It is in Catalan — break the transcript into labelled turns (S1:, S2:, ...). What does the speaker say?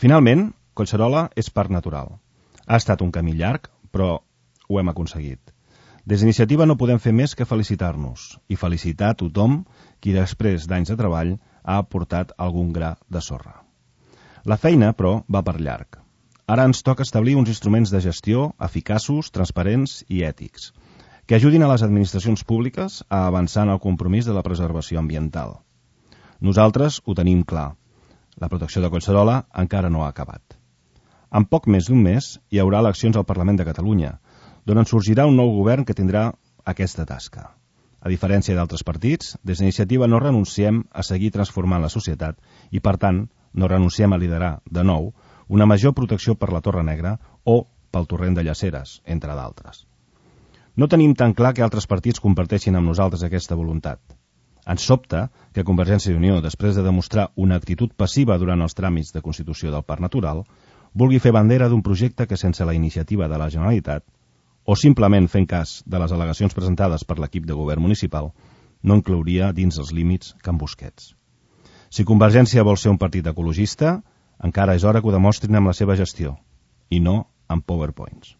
S1: Finalment, Collserola és parc natural. Ha estat un camí llarg, però ho hem aconseguit. Des d'Iniciativa no podem fer més que felicitar-nos i felicitar a tothom qui després d'anys de treball ha aportat algun gra de sorra. La feina, però, va per llarg. Ara ens toca establir uns instruments de gestió eficaços, transparents i ètics, que ajudin a les administracions públiques a avançar en el compromís de la preservació ambiental. Nosaltres ho tenim clar. La protecció de Collserola encara no ha acabat. En poc més d'un mes hi haurà eleccions al Parlament de Catalunya, d'on en sorgirà un nou govern que tindrà aquesta tasca. A diferència d'altres partits, des d'Iniciativa no renunciem a seguir transformant la societat i, per tant, no renunciem a liderar, de nou, una major protecció per la Torre Negra o pel torrent de Llaceres, entre d'altres. No tenim tan clar que altres partits comparteixin amb nosaltres aquesta voluntat. Ens sobta que Convergència i Unió, després de demostrar una actitud passiva durant els tràmits de constitució del Parc Natural, vulgui fer bandera d'un projecte que, sense la iniciativa de la Generalitat, o simplement fent cas de les al·legacions presentades per l'equip de govern municipal, no inclouria dins els límits Can Busquets. Si Convergència vol ser un partit ecologista, encara és hora que ho demostrin amb la seva gestió, i no amb PowerPoints.